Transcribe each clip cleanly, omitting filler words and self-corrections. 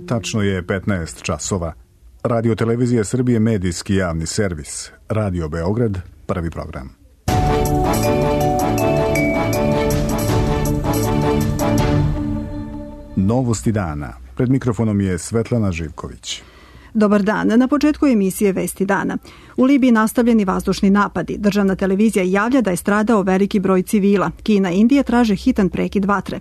Tačno je 15 časova. Radio Televizija Srbije, medijski javni servis. Radio Beograd, prvi program. Novosti dana. Pred mikrofonom je Svetlana Živković. Dobar dan. Na početku emisije Vesti dana. U Libiji nastavljeni vazdušni napadi. Državna televizija javlja da je stradao veliki broj civila. Kina i Indija traže hitan prekid vatre.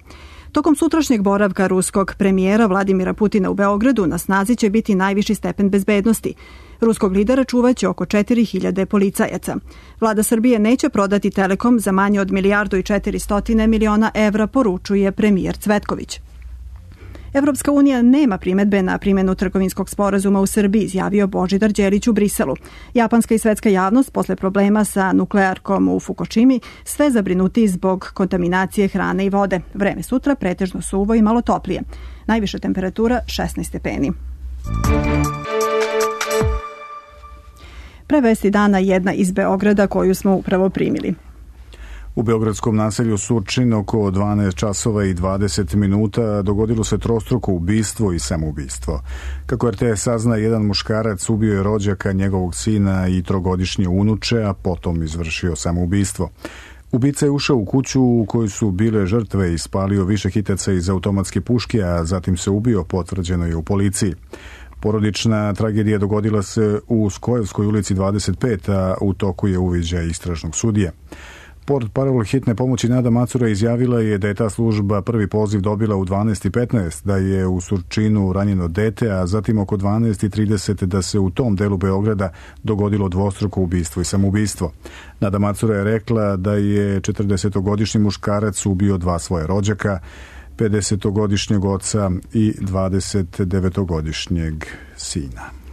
Tokom sutrašnjeg boravka ruskog premijera Vladimira Putina u Beogradu na snazi će biti najviši stepen bezbednosti. Ruskog lidera čuvaće oko 4.000 policajaca. Vlada Srbije neće prodati Telekom za manje od 1.400.000.000 evra, poručuje premijer Cvetković. Evropska unija nema primedbe na primjenu trgovinskog sporazuma u Srbiji, izjavio Božidar Đelić u Briselu. Japanska i svetska javnost posle problema sa nuklearkom u Fukushimi sve zabrinuti zbog kontaminacije hrane i vode. Vreme sutra pretežno suvo i malo toplije. Najviša temperatura 16 stepeni. Pre vesti dana jedna iz Beograda koju smo upravo primili. U beogradskom naselju Surčin oko 12 časova i 20 minuta dogodilo se trostruko ubistvo i samoubistvo. Kako RTS sazna, jedan muškarac ubio je rođaka, njegovog sina i trogodišnje unuče, a potom izvršio samoubistvo. Ubica je ušao u kuću u kojoj su bile žrtve i ispalio više hitaca iz automatske puške, a zatim se ubio, potvrđeno je u policiji. Porodična tragedija dogodila se u Skojevskoj ulici 25, a u toku je uviđaj istražnog sudije. Portparol hitne pomoći Nada Macura izjavila je da je ta služba prvi poziv dobila u 12:15, da je u Surčinu ranjeno dete, a zatim oko 12:30 da se u tom delu Beograda dogodilo dvostruko ubistvo i samoubistvo. Nada Macura je rekla da je 40-godišnji muškarac ubio dva svoje rođaka, 50-godišnjeg oca i 29-godišnjeg sina.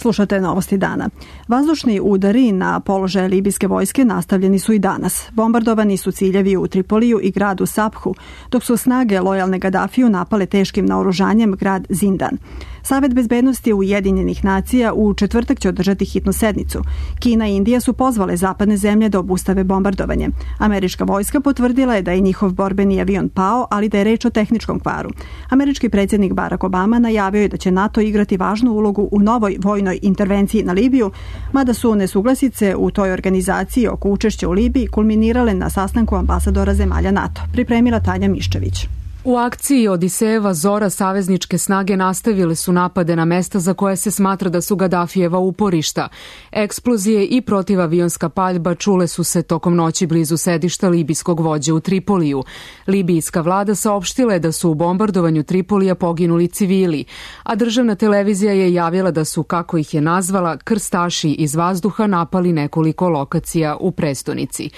Slušate novosti dana. Vazdušni udari na položaje libijske vojske nastavljeni su i danas. Bombardovani su ciljevi u Tripoliju i gradu Sabhu, dok su snage lojalne Gadafiju napale teškim naoružanjem grad Zindan. Savet bezbednosti Ujedinjenih nacija u četvrtak će održati hitnu sednicu. Kina i Indija su pozvale zapadne zemlje da obustave bombardovanje. Američka vojska potvrdila je da je njihov borbeni avion pao, ali da je reč o tehničkom kvaru. Američki predsjednik Barack Obama najavio je da će NATO igrati važnu ulogu u novoj vojnoj intervenciji na Libiju, mada su nesuglasice u toj organizaciji oko učešća u Libiji kulminirale na sastanku ambasadora zemalja NATO. Pripremila Tanja Miščević. U akciji Odisejeva Zora savezničke snage nastavile su napade na mesta za koje se smatra da su Gadafijeva uporišta. Eksplozije i protivavionska paljba čule su se tokom noći blizu sedišta libijskog vođe u Tripoliju. Libijska vlada saopštila je da su u bombardovanju Tripolija poginuli civili, a državna televizija je javila da su, kako ih je nazvala, krstaši iz vazduha napali nekoliko lokacija u prestonici.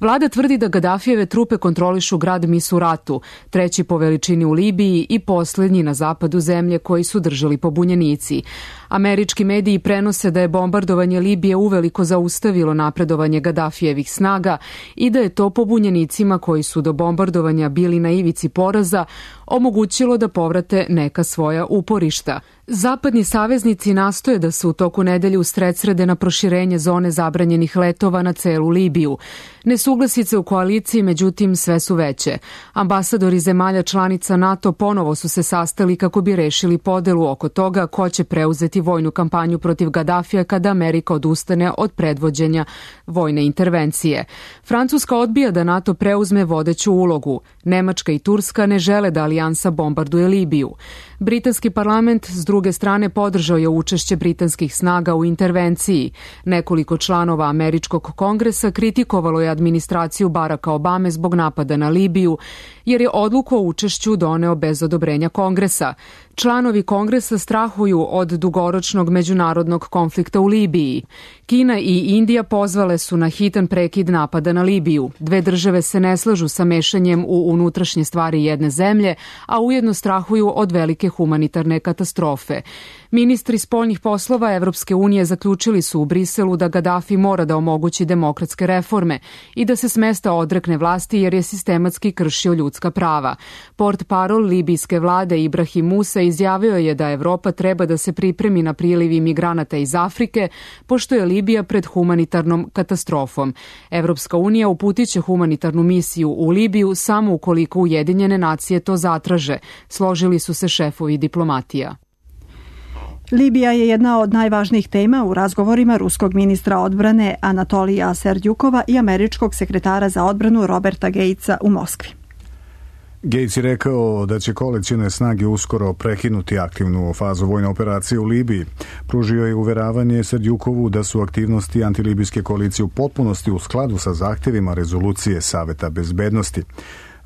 Vlada tvrdi da Gadafijeve trupe kontrolišu grad Misuratu, treći po veličini u Libiji i posljednji na zapadu zemlje koji su držali pobunjenici. Američki mediji prenose da je bombardovanje Libije uveliko zaustavilo napredovanje Gadafijevih snaga i da je to pobunjenicima koji su do bombardovanja bili na ivici poraza omogućilo da povrate neka svoja uporišta. Zapadni saveznici nastoje da se u toku nedelje usredsrede na proširenje zone zabranjenih letova na celu Libiju. Nesuglasice u koaliciji, međutim, sve su veće. Ambasadori zemalja članica NATO ponovo su se sastali kako bi rešili podelu oko toga ko će preuzeti vojnu kampanju protiv Gadafija kada Amerika odustane od predvođenja vojne intervencije. Francuska odbija da NATO preuzme vodeću ulogu. Nemačka i Turska ne žele da alijansa bombarduje Libiju. Britanski parlament s druge strane podržao je učešće britanskih snaga u intervenciji. Nekoliko članova američkog kongresa kritikovalo je administraciju Baracka Obame zbog napada na Libiju, jer je odluku o učešću doneo bez odobrenja kongresa. Članovi kongresa strahuju od dugoročnog međunarodnog konflikta u Libiji. Kina i Indija pozvale su na hitan prekid napada na Libiju. Dve države se ne slažu sa mešanjem u unutrašnje stvari jedne zemlje, a ujedno strahuju od velike humanitarne katastrofe. Ministri spoljnih poslova Evropske unije zaključili su u Briselu da Gadafi mora da omogući demokratske reforme i da se s mesta odrekne vlasti jer je sistematski kršio ljudska prava. Portparol libijske vlade Ibrahim Musa izjavio je da Evropa treba da se pripremi na priliv imigranata iz Afrike, pošto je Libija pred humanitarnom katastrofom. Evropska unija uputiće humanitarnu misiju u Libiju samo ukoliko Ujedinjene nacije to zatraže, složili su se šefovi diplomatija. Libija je jedna od najvažnijih tema u razgovorima ruskog ministra odbrane Anatolija Serdjukova i američkog sekretara za odbranu Roberta Gatesa u Moskvi. Gates je rekao da će koalicione snage uskoro prekinuti aktivnu fazu vojne operacije u Libiji. Pružio je uveravanje Serdjukovu da su aktivnosti antilibijske koalicije u potpunosti u skladu sa zahtjevima rezolucije Saveta bezbednosti.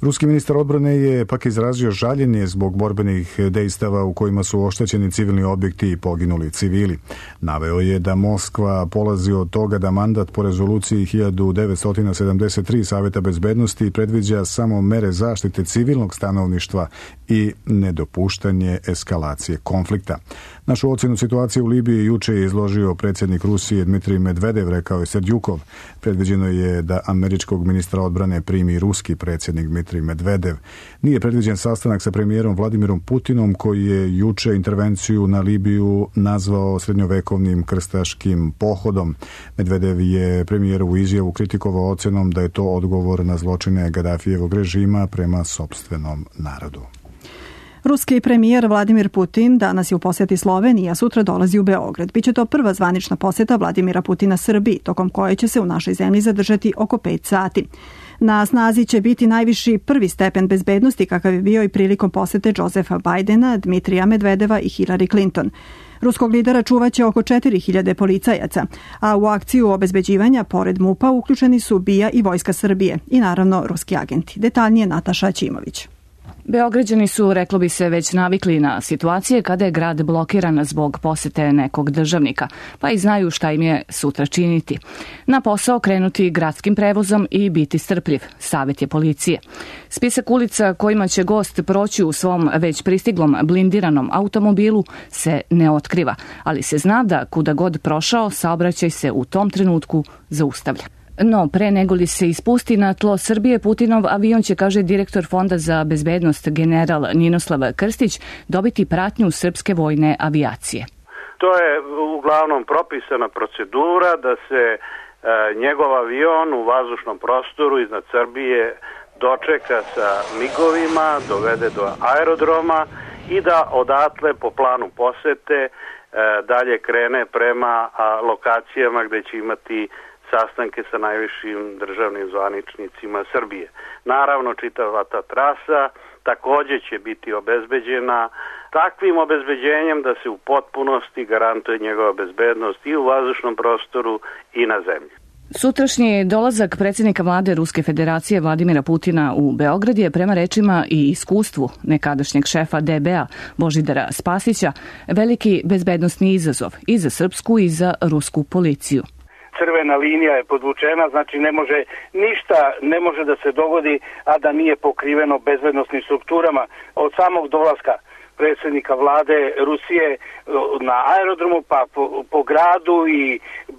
Ruski ministar odbrane je pak izrazio žaljenje zbog borbenih dejstava u kojima su oštećeni civilni objekti i poginuli civili. Naveo je da Moskva polazi od toga da mandat po rezoluciji 1973 Saveta bezbednosti predviđa samo mere zaštite civilnog stanovništva i nedopuštanje eskalacije konflikta. Našu ocjenu situacije u Libiji juče je izložio predsjednik Rusije Dmitrij Medvedev, rekao je Serdjukov. Predviđeno je da američkog ministra odbrane primi ruski predsjednik Dmitrij Medvedev. Nije predviđen sastanak sa premijerom Vladimirom Putinom, koji je juče intervenciju na Libiju nazvao srednjovekovnim krstaškim pohodom. Medvedev je premijerovu izjavu kritikovao ocjenom da je to odgovor na zločine Gadafijevog režima prema sopstvenom narodu. Ruski premijer Vladimir Putin danas je u posjeti Sloveniji, a sutra dolazi u Beograd. Biće to prva zvanična posjeta Vladimira Putina Srbiji, tokom koje će se u našoj zemlji zadržati oko 5 sati. Na snazi će biti najviši prvi stepen bezbednosti kakav je bio i prilikom posjete Josefa Bajdena, Dmitrija Medvedeva i Hillary Clinton. Ruskog lidera čuvaće oko 4000 policajaca, a u akciju obezbeđivanja pored MUP-a uključeni su BIA i Vojska Srbije i naravno ruski agenti. Detaljnije Nataša Ćimović. Beograđani su, reklo bi se, već navikli na situacije kada je grad blokiran zbog posete nekog državnika, pa i znaju šta im je sutra činiti. Na posao krenuti gradskim prevozom i biti strpljiv, savjet je policije. Spisak ulica kojima će gost proći u svom već pristiglom blindiranom automobilu se ne otkriva, ali se zna da kuda god prošao, saobraćaj se u tom trenutku zaustavlja. No, pre nego li se ispusti na tlo Srbije, Putinov avion će, kaže direktor Fonda za bezbednost general Ninoslav Krstić, dobiti pratnju srpske vojne avijacije. To je uglavnom propisana procedura da se njegov avion u vazdušnom prostoru iznad Srbije dočeka sa migovima, dovede do aerodroma i da odatle po planu posete dalje krene prema lokacijama gde će imati sastanke sa najvišim državnim zvaničnicima Srbije. Naravno, čitava ta trasa takođe će biti obezbeđena takvim obezbeđenjem da se u potpunosti garantuje njegova bezbednost i u vazdušnom prostoru i na zemlji. Sutrašnji dolazak predsjednika vlade Ruske federacije Vladimira Putina u Beograd je prema rečima i iskustvu nekadašnjeg šefa DB-a Božidara Spasića veliki bezbednosni izazov i za srpsku i za rusku policiju. Crvena linija je podvučena, znači ništa ne može da se dogodi, a da nije pokriveno bezbednosnim strukturama. Od samog dolaska predsjednika vlade Rusije na aerodromu, pa po gradu i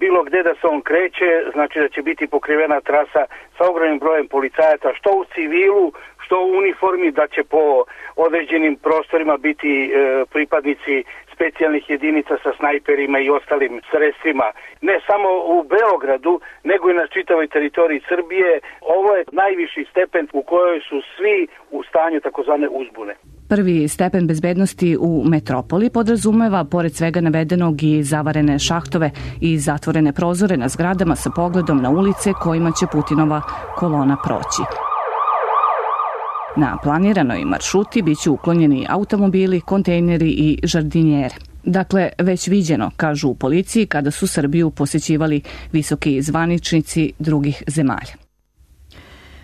bilo gde da se on kreće, znači da će biti pokrivena trasa sa ogromnim brojem policajaca, što u civilu, što u uniformi, da će po određenim prostorima biti pripadnici specijalnih jedinica sa snajperima i ostalim sredstvima. Ne samo u Beogradu, nego i na čitavoj teritoriji Srbije. Ovo je najviši stepen u kojoj su svi u stanju takozvane uzbune. Prvi stepen bezbednosti u metropoli podrazumeva, pored svega navedenog, i zavarene šahtove i zatvorene prozore na zgradama sa pogledom na ulice kojima će Putinova kolona proći. Na planiranoj maršruti biće uklonjeni automobili, kontejneri i žardinjere. Dakle, već viđeno, kažu u policiji, kada su Srbiju posećivali visoki zvaničnici drugih zemalja.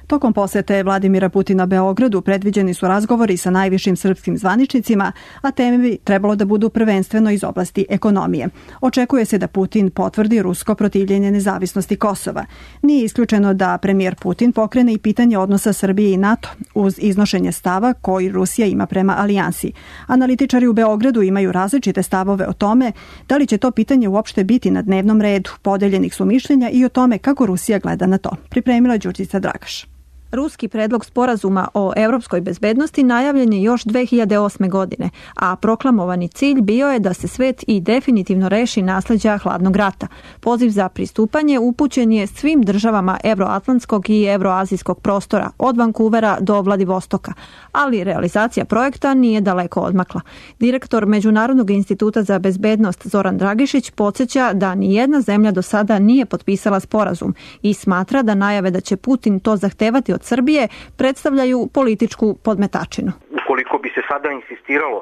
Tokom posete Vladimira Putina Beogradu predviđeni su razgovori sa najvišim srpskim zvaničnicima, a teme bi trebalo da budu prvenstveno iz oblasti ekonomije. Očekuje se da Putin potvrdi rusko protivljenje nezavisnosti Kosova. Nije isključeno da premijer Putin pokrene i pitanje odnosa Srbije i NATO uz iznošenje stava koji Rusija ima prema alijansi. Analitičari u Beogradu imaju različite stavove o tome da li će to pitanje uopšte biti na dnevnom redu. Podeljenih su mišljenja i o tome kako Rusija gleda na to. Pripremila Đurđica Dragaš. Ruski predlog sporazuma o europskoj bezbednosti najavljen je još 2008. godine, a proklamovani cilj bio je da se svet i definitivno reši nasleđa hladnog rata. Poziv za pristupanje upućen je svim državama evroatlantskog i evroazijskog prostora, od Vancouvera do Vladivostoka, ali realizacija projekta nije daleko odmakla. Direktor Međunarodnog instituta za bezbednost Zoran Dragišić podsjeća da nijedna zemlja do sada nije potpisala sporazum i smatra da najave da će Putin to zahtevati od Srbije predstavljaju političku podmetačinu. Ukoliko bi se sada insistiralo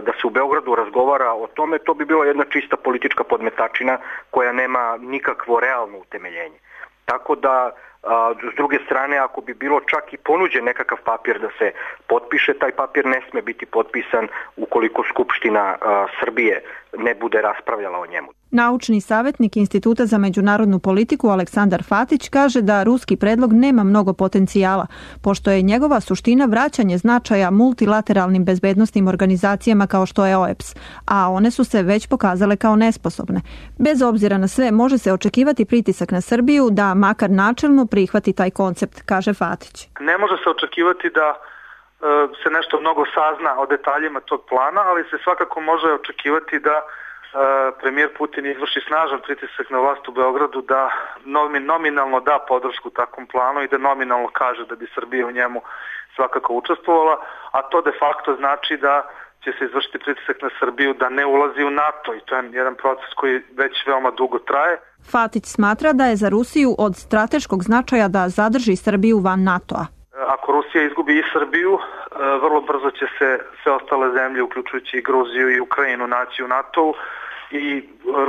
da se u Beogradu razgovara o tome, to bi bila jedna čista politička podmetačina koja nema nikakvo realno utemeljenje. Tako da, s druge strane, ako bi bilo čak i ponuđen nekakav papir da se potpiše, taj papir ne sme biti potpisan ukoliko Skupština Srbije ne bude raspravljala o njemu. Naučni savjetnik Instituta za međunarodnu politiku Aleksandar Fatić kaže da ruski predlog nema mnogo potencijala, pošto je njegova suština vraćanje značaja multilateralnim bezbednosnim organizacijama kao što je OEBS, a one su se već pokazale kao nesposobne. Bez obzira na sve, može se očekivati pritisak na Srbiju da makar načelno prihvati taj koncept, kaže Fatić. Ne može se očekivati da se nešto mnogo sazna o detaljima tog plana, ali se svakako može očekivati da premijer Putin izvrši snažan pritisak na vlast u Beogradu da nominalno da podršku takvom planu i da nominalno kaže da bi Srbija u njemu svakako učestvovala, a to de facto znači da će se izvršiti pritisak na Srbiju da ne ulazi u NATO i to je jedan proces koji već veoma dugo traje. Fatić smatra da je za Rusiju od strateškog značaja da zadrži Srbiju van NATO-a. Ako Rusija izgubi i Srbiju, vrlo brzo će se sve ostale zemlje, uključujući i Gruziju i Ukrajinu, naći u NATO-u i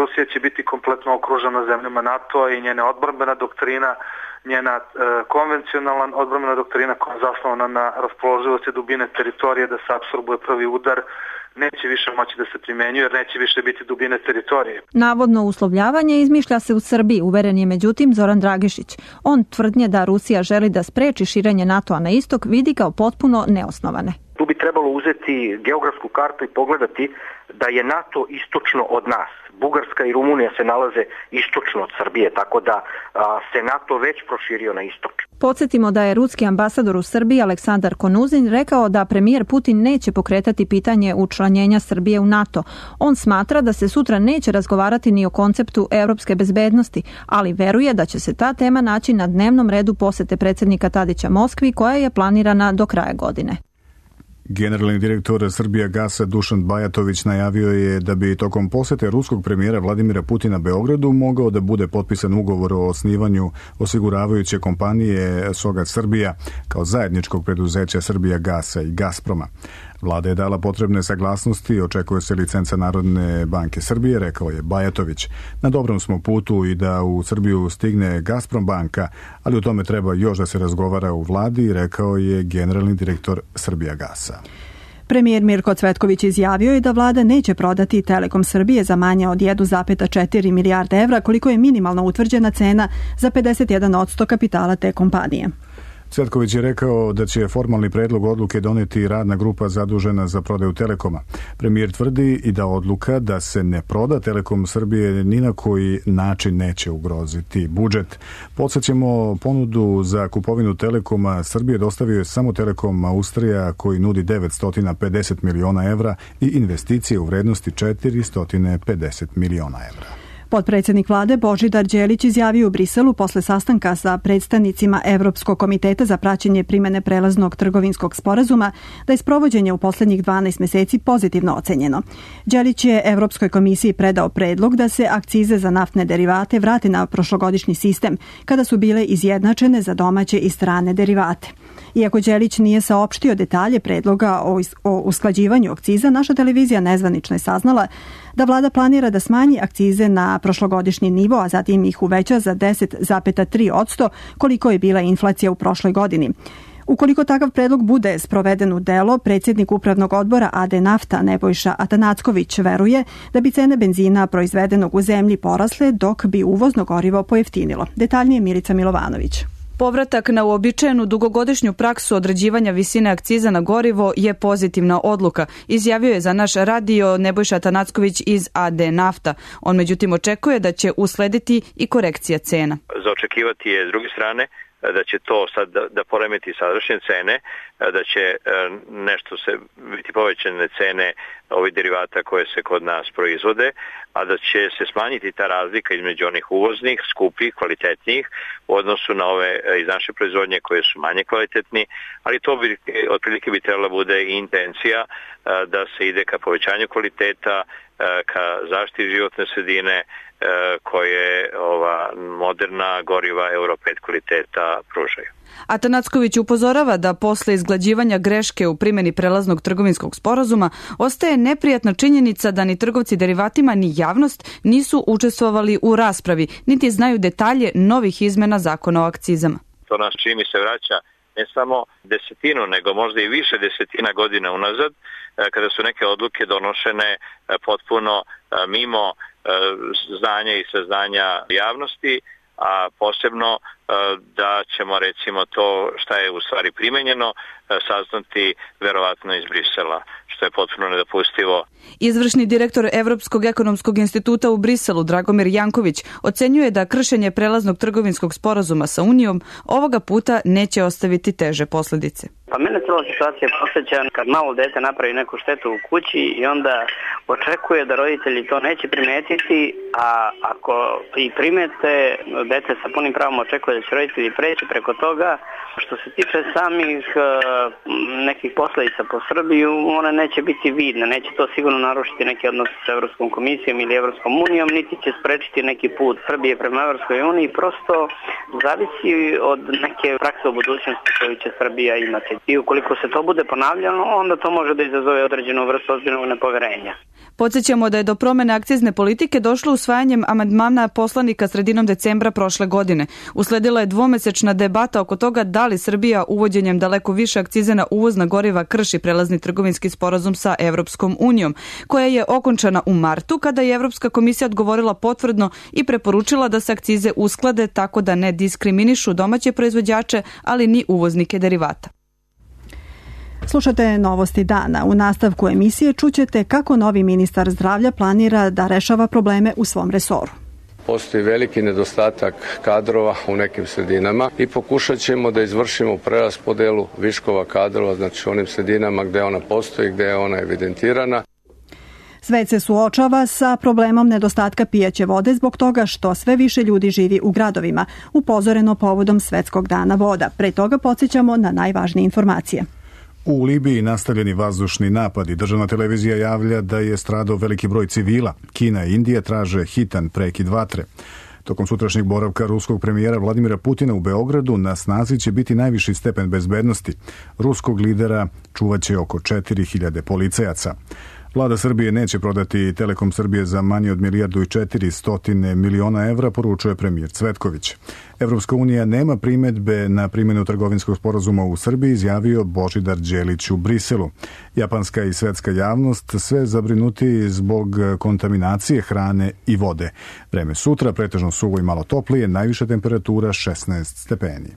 Rusija će biti kompletno okružena zemljama NATO-a i njena odbrambena doktrina, njena konvencionalna odbrambena doktrina koja je zasnovana na raspoloživosti dubine teritorije da se apsorbuje prvi udar, neće više moći da se primenjuje jer neće više biti dubine teritorije. Navodno uslovljavanje izmišlja se u Srbiji, uveren je međutim Zoran Dragišić. On tvrdnje da Rusija želi da spreči širenje NATO-a na istok vidi kao potpuno neosnovane. Tu bi trebalo uzeti geografsku kartu i pogledati da je NATO istočno od nas. Bugarska i Rumunija se nalaze istočno od Srbije, tako da se NATO već proširio na istok. Podsjetimo da je ruski ambasador u Srbiji Aleksandar Konuzin rekao da premijer Putin neće pokretati pitanje učlanjenja Srbije u NATO. On smatra da se sutra neće razgovarati ni o konceptu europske bezbednosti, ali veruje da će se ta tema naći na dnevnom redu posete predsjednika Tadića Moskvi koja je planirana do kraja godine. Generalni direktor Srbijagasa Dušan Bajatović najavio je da bi tokom posete ruskog premijera Vladimira Putina Beogradu mogao da bude potpisan ugovor o osnivanju osiguravajuće kompanije Sogat Srbija kao zajedničkog preduzeća Srbijagasa i Gazproma. Vlada je dala potrebne saglasnosti, očekuje se licenca Narodne banke Srbije, rekao je Bajatović. Na dobrom smo putu i da u Srbiju stigne Gazprom banka, ali o tome treba još da se razgovara u vladi, rekao je generalni direktor Srbijagasa. Premijer Mirko Cvetković izjavio je da vlada neće prodati Telekom Srbije za manje od 1,4 milijarde evra, koliko je minimalno utvrđena cena za 51% kapitala te kompanije. Cvetković je rekao da će formalni predlog odluke doneti radna grupa zadužena za prodaju Telekoma. Premijer tvrdi i da odluka da se ne proda Telekom Srbije ni na koji način neće ugroziti budžet. Podsjećamo, ponudu za kupovinu Telekoma Srbije dostavio je samo Telekom Austrija koji nudi 950 miliona evra i investicije u vrednosti 450 miliona evra. Potpredsjednik vlade Božidar Đelić izjavio u Briselu posle sastanka sa predstavnicima Evropskog komiteta za praćenje primene prelaznog trgovinskog sporazuma da je sprovođenje u poslednjih 12 meseci pozitivno ocenjeno. Đelić je Evropskoj komisiji predao predlog da se akcize za naftne derivate vrate na prošlogodišnji sistem kada su bile izjednačene za domaće i strane derivate. Iako Đelić nije saopštio detalje predloga o usklađivanju akciza, naša televizija nezvanično je saznala da vlada planira da smanji akcize na prošlogodišnji nivo, a zatim ih uveća za 10,3% koliko je bila inflacija u prošloj godini. Ukoliko takav predlog bude sproveden u delo, predsjednik upravnog odbora AD Nafta Nebojša Atanacković veruje da bi cene benzina proizvedenog u zemlji porasle dok bi uvozno gorivo pojeftinilo. Detaljnije Milica Milovanović. Povratak na uobičajenu dugogodišnju praksu određivanja visine akciza na gorivo je pozitivna odluka, izjavio je za naš radio Nebojša Atanacković iz AD Nafta. On međutim očekuje da će uslediti i korekcija cena. Za očekivati je s druge strane da će to sad da poremeti sadašnje cene, da će nešto se biti povećane cene ovih derivata koje se kod nas proizvode, a da će se smanjiti ta razlika između onih uvoznih, skupih, kvalitetnijih u odnosu na ove iz naše proizvodnje koje su manje kvalitetni, ali to otprilike bi trebala bude i intencija da se ide ka povećanju kvaliteta, ka zaštiti životne sredine koje ova moderna goriva Euro 5 kvaliteta pružaju. Atanacković upozorava da posle izglađivanja greške u primjeni prelaznog trgovinskog sporazuma ostaje neprijatna činjenica da ni trgovci derivatima ni javnost nisu učestvovali u raspravi, niti znaju detalje novih izmena zakona o akcizama. To nas čini se vraća ne samo desetinu, nego možda i više desetina godina unazad, kada su neke odluke donošene potpuno mimo znanja i saznanja javnosti, a posebno da ćemo recimo to šta je u stvari primenjeno saznati verovatno iz Brisela, što je potpuno nedopustivo. Izvršni direktor Evropskog ekonomskog instituta u Briselu, Dragomir Janković, ocenjuje da kršenje prelaznog trgovinskog sporazuma sa Unijom ovoga puta neće ostaviti teže posljedice. Pa mene cela situacija posjeća kad malo dete napravi neku štetu u kući i onda očekuje da roditelji to neće primetiti, a ako i primete, dete sa punim pravom očekuje da će roditelji preći preko toga. Što se tiče samih nekih posledica po Srbiju, one neće biti vidne, neće to sigurno narušiti neki odnos sa Evropskom komisijom ili Evropskom unijom, niti će sprečiti neki put Srbije prema Evropskoj uniji, prosto zavisi od neke prakse u budućnosti koju će Srbija imati. I ukoliko se to bude ponavljano, onda to može da izazove određenu vrstu ozbiljnog nepoverenja. Podsjećamo da je do promene akcizne politike došlo usvajanjem amandmana poslanika sredinom decembra prošle godine. Usledila je dvomesečna debata oko toga da li Srbija uvođenjem daleko više akcize na uvozna goriva krši prelazni trgovinski sporazum sa Evropskom unijom, koja je okončana u martu kada je Evropska komisija odgovorila potvrdno i preporučila da se akcize usklade tako da ne diskriminišu domaće proizvođače, ali ni uvoznike derivata. Slušate Novosti dana. U nastavku emisije čućete kako novi ministar zdravlja planira da rešava probleme u svom resoru. Postoji veliki nedostatak kadrova u nekim sredinama i pokušat ćemo da izvršimo preraspodelu viškova kadrova, znači onim sredinama gde ona postoji, gde je ona evidentirana. Svet se suočava sa problemom nedostatka pijaće vode zbog toga što sve više ljudi živi u gradovima, upozoreno povodom Svetskog dana voda. Pre toga podsjećamo na najvažnije informacije. U Libiji nastavljeni vazdušni napadi. Državna televizija javlja da je stradao veliki broj civila. Kina i Indija traže hitan prekid vatre. Tokom sutrašnjeg boravka ruskog premijera Vladimira Putina u Beogradu na snazi će biti najviši stepen bezbednosti. Ruskog lidera čuvaće oko 4000 policajaca. Vlada Srbije neće prodati Telekom Srbije za manje od 1.400 miliona evra, poručuje premijer Cvetković. Evropska unija nema primedbe na primjenu trgovinskog sporazuma u Srbiji, izjavio Božidar Đelić u Briselu. Japanska i svetska javnost sve zabrinuti zbog kontaminacije hrane i vode. Vreme sutra pretežno suvo i malo toplije, najviša temperatura 16 stepeni.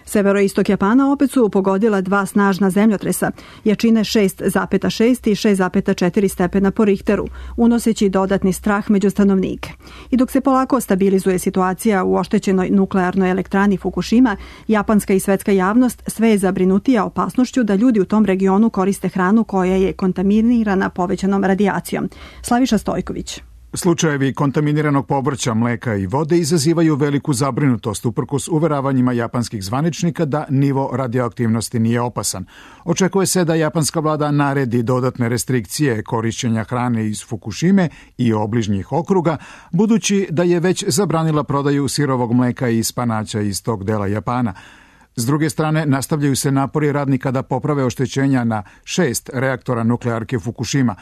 Severoistok Japana opet su pogodila dva snažna zemljotresa, jačine 6,6 i 6,4 stepena po Richteru, unoseći dodatni strah među stanovnike. I dok se polako stabilizuje situacija u oštećenoj nuklearnoj elektrani Fukushima, japanska i svetska javnost sve je zabrinutija opasnošću da ljudi u tom regionu koriste hranu koja je kontaminirana povećanom radijacijom. Slaviša Stojković. Slučajevi kontaminiranog povrća, mleka i vode izazivaju veliku zabrinutost uprkos uveravanjima japanskih zvaničnika da nivo radioaktivnosti nije opasan. Očekuje se da japanska vlada naredi dodatne restrikcije korišćenja hrane iz Fukushime i obližnjih okruga, budući da je već zabranila prodaju sirovog mleka i spanaća iz tog dela Japana. S druge strane, nastavljaju se napori radnika da poprave oštećenja na 6 reaktora nuklearke Fukushima.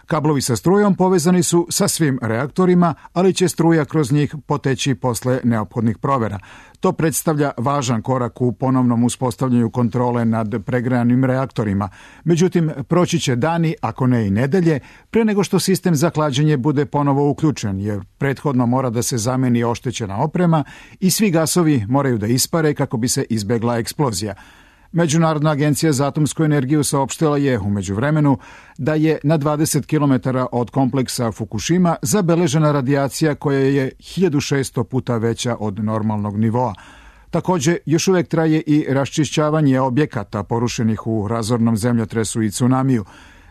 Kablovi sa strujom povezani su sa svim reaktorima, ali će struja kroz njih poteći posle neophodnih provera. To predstavlja važan korak u ponovnom uspostavljanju kontrole nad pregrejanim reaktorima. Međutim, proći će dani, ako ne i nedelje, pre nego što sistem za hlađenje bude ponovo uključen, jer prethodno mora da se zameni oštećena oprema i svi gasovi moraju da ispare kako bi se izbegla eksplozija. Međunarodna agencija za atomsku energiju saopštila je u međuvremenu da je na 20 km od kompleksa Fukushima zabeležena radijacija koja je 1600 puta veća od normalnog nivoa. Takođe, još uvek traje i raščišćavanje objekata porušenih u razornom zemljotresu i tsunamiju.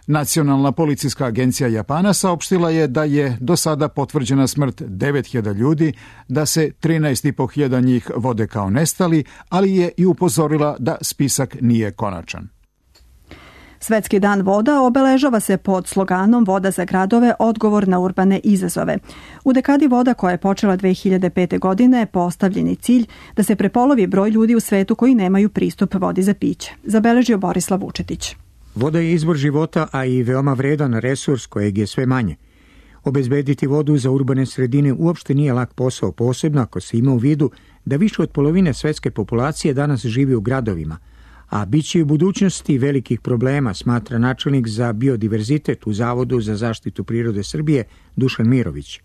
Nacionalna policijska agencija Japana saopštila je da je do sada potvrđena smrt 9.000 ljudi, da se 13.500 njih vode kao nestali, ali je i upozorila da spisak nije konačan. Svetski dan voda obeležava se pod sloganom Voda za gradove, odgovor na urbane izazove. U dekadi voda koja je počela 2005. godine postavljen je cilj da se prepolovi broj ljudi u svetu koji nemaju pristup vodi za piće. Zabeležio Borislav Vučetić. Voda je izvor života, a i veoma vredan resurs kojeg je sve manje. Obezbediti vodu za urbane sredine uopšte nije lak posao, posebno ako se ima u vidu da više od polovine svetske populacije danas živi u gradovima, a bit će u budućnosti velikih problema, smatra načelnik za biodiverzitet u Zavodu za zaštitu prirode Srbije Dušan Mirović.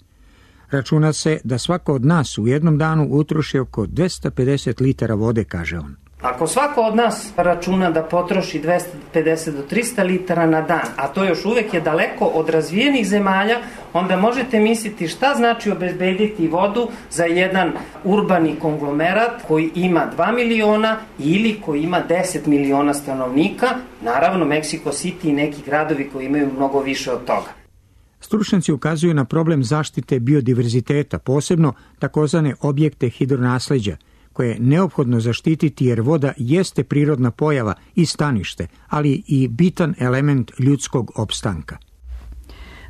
Računa se da svako od nas u jednom danu utroši oko 250 litara vode, kaže on. Ako svako od nas računa da potroši 250 do 300 litara na dan, a to još uvek je daleko od razvijenih zemalja, onda možete misliti šta znači obezbediti vodu za jedan urbani konglomerat koji ima 2 miliona ili koji ima 10 miliona stanovnika, naravno Mexico City i neki gradovi koji imaju mnogo više od toga. Stručnjaci ukazuju na problem zaštite biodiverziteta, posebno takozvane objekte hidronasleđa, koje je neophodno zaštititi jer voda jeste prirodna pojava i stanište, ali i bitan element ljudskog opstanka.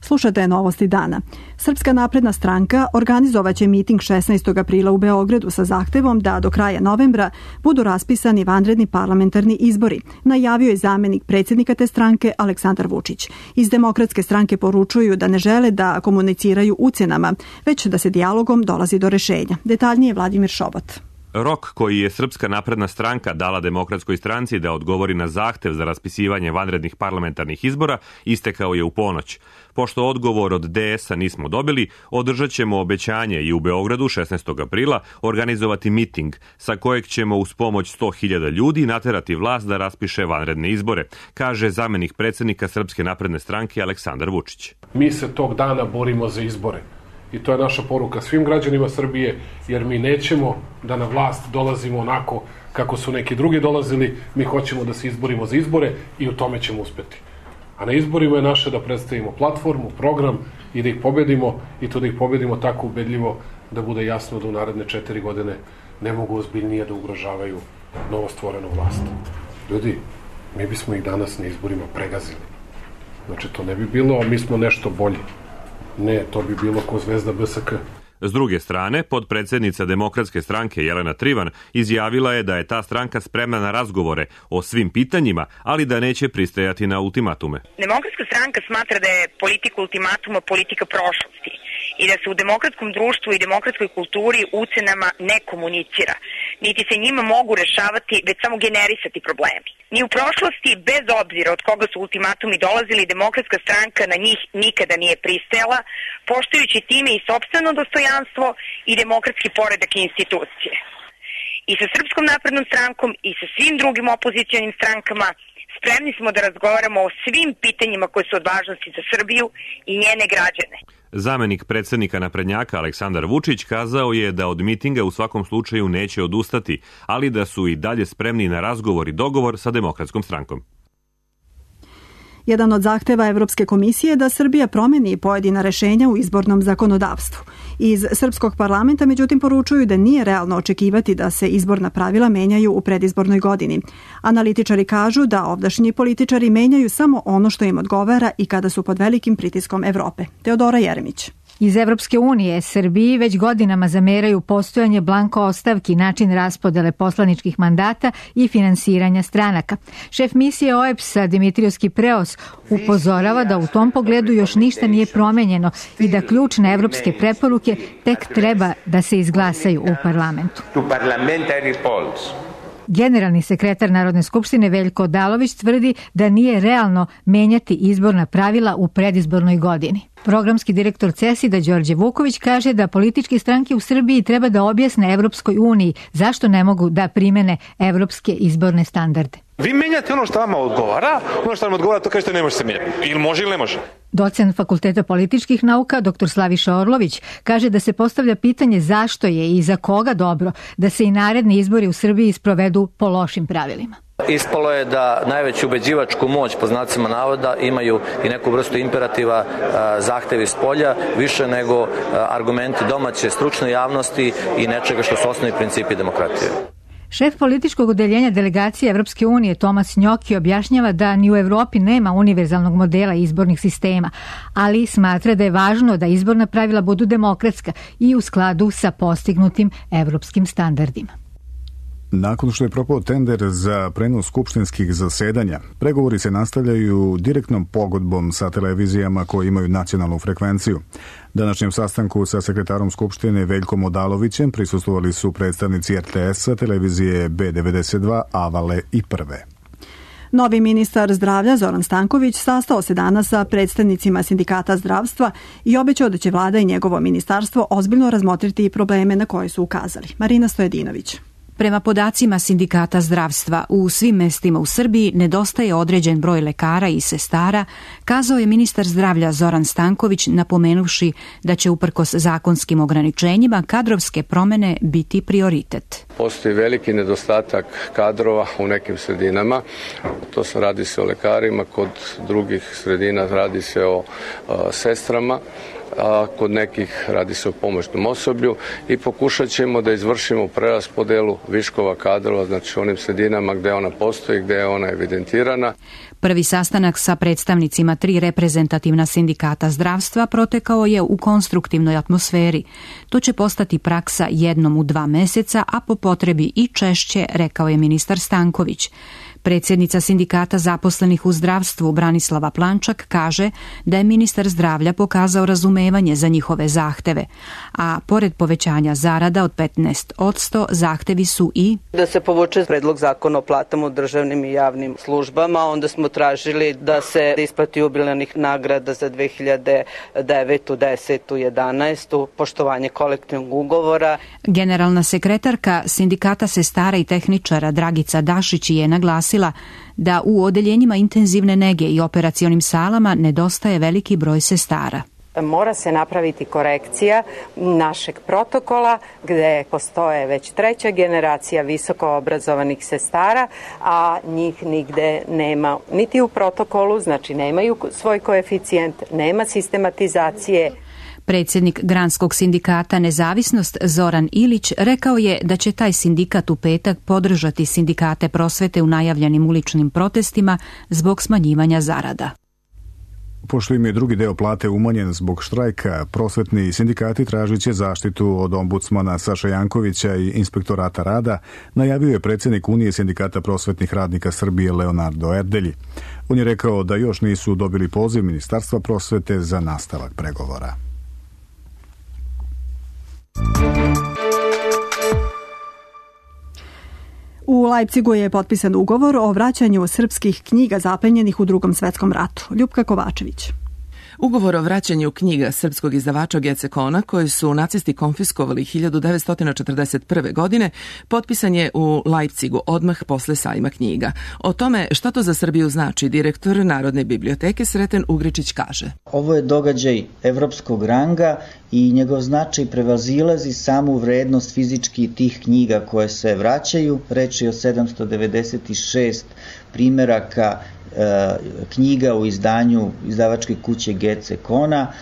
Slušajte novosti dana. Srpska napredna stranka organizovaće miting 16. aprila u Beogradu sa zahtevom da do kraja novembra budu raspisani vanredni parlamentarni izbori, najavio je zamenik predsjednika te stranke Aleksandar Vučić. Iz Demokratske stranke poručuju da ne žele da komuniciraju ucjenama, već da se dijalogom dolazi do rešenja. Detaljnije Vladimir Šobot. Rok koji je Srpska napredna stranka dala Demokratskoj stranci da odgovori na zahtev za raspisivanje vanrednih parlamentarnih izbora istekao je u ponoć. Pošto odgovor od DS-a nismo dobili, održat ćemo obećanje i u Beogradu 16. aprila organizovati miting sa kojeg ćemo uz pomoć 100.000 ljudi naterati vlast da raspiše vanredne izbore, kaže zamenik predsjednika Srpske napredne stranke Aleksandar Vučić. Mi se tog dana borimo za izbore. I to je naša poruka svim građanima Srbije, jer mi nećemo da na vlast dolazimo onako kako su neki drugi dolazili, mi hoćemo da se izborimo za izbore i u tome ćemo uspeti. A na izborima je naše da predstavimo platformu, program i da ih pobedimo, i to da ih pobedimo tako ubedljivo da bude jasno da u naredne 4 godine ne mogu ozbiljnije da ugrožavaju novostvorenu vlast. Ljudi, mi bismo ih danas na izborima pregazili. Znači, to ne bi bilo, a mi smo nešto bolji. Ne, to bi bilo ko zvezda BSK. S druge strane, podpredsednica Demokratske stranke Jelena Trivan izjavila je da je ta stranka spremna na razgovore o svim pitanjima, ali da neće pristajati na ultimatume. Demokratska stranka smatra da je politika ultimatuma politika prošlosti i da se u demokratskom društvu i demokratskoj kulturi ucenama ne komunicira, niti se njima mogu rešavati, već samo generisati problemi. Ni u prošlosti, bez obzira od koga su ultimatumi dolazili, Demokratska stranka na njih nikada nije pristajala, poštujući time i sopstveno dostojanstvo i demokratski poredak i institucije. I sa Srpskom naprednom strankom i sa svim drugim opozicionim strankama spremni smo da razgovaramo o svim pitanjima koje su od važnosti za Srbiju i njene građane. Zamenik predsjednika naprednjaka Aleksandar Vučić kazao je da od mitinga u svakom slučaju neće odustati, ali da su i dalje spremni na razgovor i dogovor sa Demokratskom strankom. Jedan od zahteva Evropske komisije je da Srbija promeni pojedina rešenja u izbornom zakonodavstvu. Iz Srpskog parlamenta međutim poručuju da nije realno očekivati da se izborna pravila menjaju u predizbornoj godini. Analitičari kažu da ovdašnji političari menjaju samo ono što im odgovara i kada su pod velikim pritiskom Evrope. Teodora Jeremić. Iz Evropske unije Srbiji već godinama zameraju postojanje blanko ostavki, način raspodele poslaničkih mandata i finansiranja stranaka. Šef misije OEBS-a Dimitrios Kipreos upozorava da u tom pogledu još ništa nije promenjeno i da ključne evropske preporuke tek treba da se izglasaju u parlamentu. Generalni sekretar Narodne skupštine Veljko Odalović tvrdi da nije realno menjati izborna pravila u predizbornoj godini. Programski direktor CESID-a Đorđe Vuković kaže da političke stranke u Srbiji treba da objasne Evropskoj uniji zašto ne mogu da primene evropske izborne standarde. Vi menjate ono što vama odgovara, ono što vam odgovara to kažete ne može se menjati. Ili može ili ne može. Docent Fakulteta političkih nauka dr. Slaviša Orlović kaže da se postavlja pitanje zašto je i za koga dobro da se i naredni izbori u Srbiji sprovedu po lošim pravilima. Ispalo je da najveću ubeđivačku moć, po znacima navoda, imaju i neku vrstu imperativa, zahtevi s polja, više nego argumenti domaće stručne javnosti i nečega što su osnovni principi demokratije. Šef političkog odeljenja delegacije Evropske unije Tomas Njoki objašnjava da ni u Evropi nema univerzalnog modela izbornih sistema, ali smatra da je važno da izborna pravila budu demokratska i u skladu sa postignutim evropskim standardima. Nakon što je propao tender za prenos skupštinskih zasedanja, pregovori se nastavljaju direktnom pogodbom sa televizijama koje imaju nacionalnu frekvenciju. Današnjem sastanku sa sekretarom Skupštine Veljkom Odalovićem prisustvovali su predstavnici RTS-a, televizije B92, Avale i Prve. Novi ministar zdravlja Zoran Stanković sastao se danas sa predstavnicima sindikata zdravstva i obećao da će vlada i njegovo ministarstvo ozbiljno razmotriti probleme na koje su ukazali. Marina Stojedinović. Prema podacima sindikata zdravstva, u svim mestima u Srbiji nedostaje određen broj lekara i sestara, kazao je ministar zdravlja Zoran Stanković, napomenuvši da će uprkos zakonskim ograničenjima kadrovske promene biti prioritet. Postoji veliki nedostatak kadrova u nekim sredinama, radi se o lekarima, kod drugih sredina radi se o sestrama, a kod nekih radi se o pomoćnom osoblju i pokušat ćemo da izvršimo preraspodelu viškova kadrova, znači u onim sredinama gde ona postoji, gde je ona evidentirana. Prvi sastanak sa predstavnicima 3 reprezentativna sindikata zdravstva protekao je u konstruktivnoj atmosferi. To će postati praksa jednom u 2 meseca, a po potrebi i češće, rekao je ministar Stanković. Predsjednica sindikata zaposlenih u zdravstvu Branislava Plančak kaže da je ministar zdravlja pokazao razumevanje za njihove zahteve, a pored povećanja zarada od 15%, zahtevi su i da se povuče predlog zakona o platama u državnim i javnim službama, onda smo tražili da se isplati jubilarnih nagrada za 2009., 10., 11., poštovanje kolektivnog ugovora. Generalna sekretarka sindikata sestara i tehničara Dragica Dašić je naglasila da u odeljenjima intenzivne nege i operacionim salama nedostaje veliki broj sestara. Mora se napraviti korekcija našeg protokola gde postoje već 3. generacija visoko obrazovanih sestara, a njih nigde nema niti u protokolu, znači nemaju svoj koeficijent, nema sistematizacije. Predsjednik Granskog sindikata Nezavisnost Zoran Ilić rekao je da će taj sindikat u petak podržati sindikate prosvete u najavljenim uličnim protestima zbog smanjivanja zarada. Pošto im je drugi deo plate umanjen zbog štrajka, prosvetni sindikati tražit će zaštitu od ombudsmana Saša Jankovića i inspektorata rada, najavio je predsjednik Unije sindikata prosvetnih radnika Srbije Leonardo Erdelji. On je rekao da još nisu dobili poziv Ministarstva prosvete za nastavak pregovora. U Leipzigu je potpisan ugovor o vraćanju srpskih knjiga zaplenjenih u Drugom svetskom ratu. Ljupka Kovačević. Ugovor o vraćanju knjiga srpskog izdavača Gece Kona, koji su nacisti konfiskovali 1941. godine, potpisan je u Leipzigu odmah posle sajma knjiga. O tome šta to za Srbiju znači, direktor Narodne biblioteke Sreten Ugričić kaže. Ovo je događaj evropskog ranga i njegov značaj prevazilazi samu vrednost fizički tih knjiga koje se vraćaju. Reč je o 796 primeraka knjiga u izdanju izdavačke kuće Gece Kona.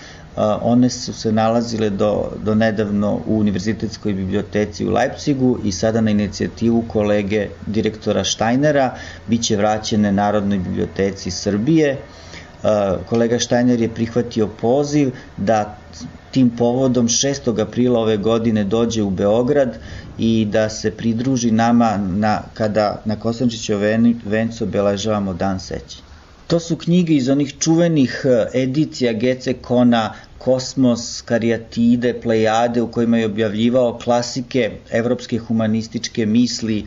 One su se nalazile do nedavno u Univerzitetskoj biblioteci u Leipzigu i sada na inicijativu kolege direktora Štajnera biće vraćene Narodnoj biblioteci Srbije. Kolega Štajner je prihvatio poziv da tim povodom 6. aprila ove godine dođe u Beograd i da se pridruži nama kada na Kosančićevoj vencu obeležavamo Dan sećanja. To su knjige iz onih čuvenih edicija Gece Kona Kosmos, Karijatide, Plejade, u kojima je objavljivao klasike evropske humanističke misli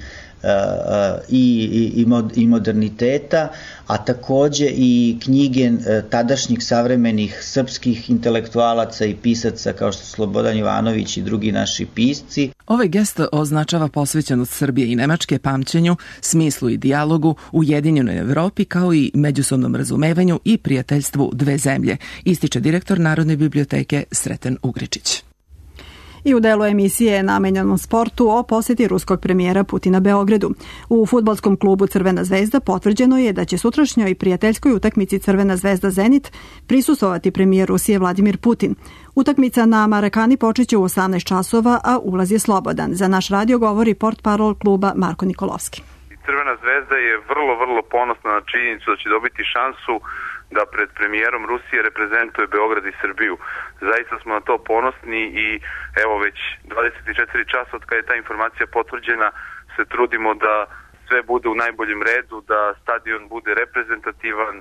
i moderniteta, a takođe i knjige tadašnjih savremenih srpskih intelektualaca i pisaca kao što su Slobodan Jovanović i drugi naši pisci. Ovaj gest označava posvećenost Srbije i Nemačke pamćenju, smislu i dijalogu, ujedinjenoj Evropi kao i međusobnom razumevanju i prijateljstvu dve zemlje, ističe direktor Narodne biblioteke Sreten Ugričić. I u delu emisije namenjenom sportu o posjeti ruskog premijera Putina Beogradu. U fudbalskom klubu Crvena zvezda potvrđeno je da će sutrašnjoj prijateljskoj utakmici Crvena zvezda Zenit prisustvovati premijer Rusije Vladimir Putin. Utakmica na Marakani počeće u 18 časova, a ulaz je slobodan. Za naš radio govori portparol kluba Marko Nikolovski. Crvena zvezda je vrlo ponosna na činjenicu da će dobiti šansu da pred premijerom Rusije reprezentuje Beograd i Srbiju. Zaista smo na to ponosni i evo već 24 časa od kada je ta informacija potvrđena se trudimo da sve bude u najboljem redu, da stadion bude reprezentativan,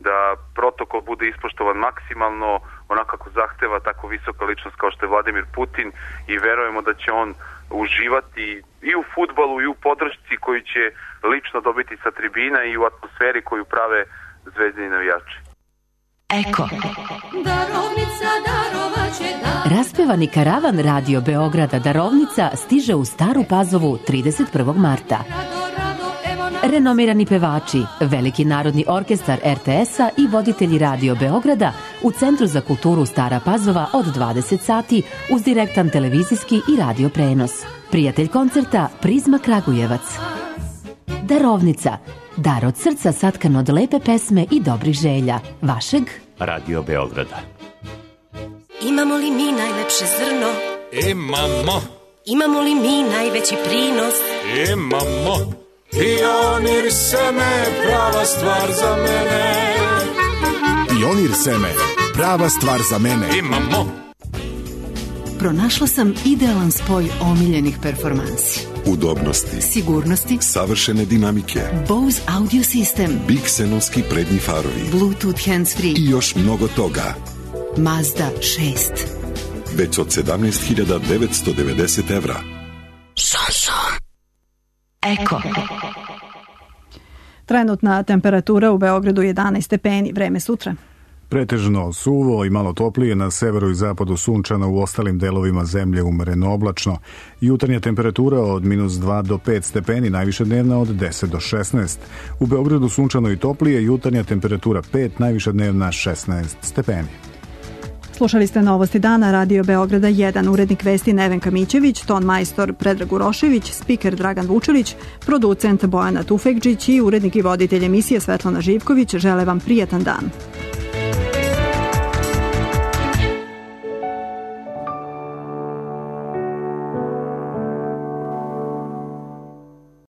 da protokol bude ispoštovan maksimalno, onako kako zahteva tako visoka ličnost kao što je Vladimir Putin i verujemo da će on uživati i u fudbalu i u podršci koju će lično dobiti sa tribina i u atmosferi koju prave zvezdini navijači. Eko. Raspevani karavan Radio Beograda Darovnica stiže u Staru Pazovu 31. marta. Renomirani pevači, Veliki narodni orkestar RTS-a i voditelji Radio Beograda u Centru za kulturu Stara Pazova od 20 sati uz direktan televizijski i radio prenos. Prijatelj koncerta Prizma Kragujevac. Darovnica. Dar od srca satkan od lepe pesme i dobrih želja. Vašeg Radio Beograda. Imamo li mi najlepše zrno? Imamo. Imamo li mi najveći prinos? Imamo. Pionir seme, prava stvar za mene. Pionir seme, prava stvar za mene. Imamo. Pronašla sam idealan spoj omiljenih performansi. Udobnosti, sigurnosti, savršene dinamike, Bose audio sistem, Bixenovski prednji farovi, Bluetooth handsfree i još mnogo toga. Mazda 6. Već od 17.990 evra. Šanson. Eko. Trenutna temperatura u Beogradu 11 stepeni, vreme sutra. Pretežno suvo i malo toplije, na severu i zapadu sunčano, u ostalim delovima zemlje umereno oblačno. Jutarnja temperatura od -2 do 5 stepeni, najviše dnevna od 10 do 16. U Beogradu sunčano i toplije, jutarnja temperatura 5, najviša dnevna 16 stepeni. Slušali ste Novosti dana Radio Beograda 1, urednik vesti Nevenka Mićević, ton majstor Predrag Urošević, spiker Dragan Vučelić, producent Bojana Tufekđić i urednik i voditelj emisije Svetlana Živković. Žele vam prijatan dan.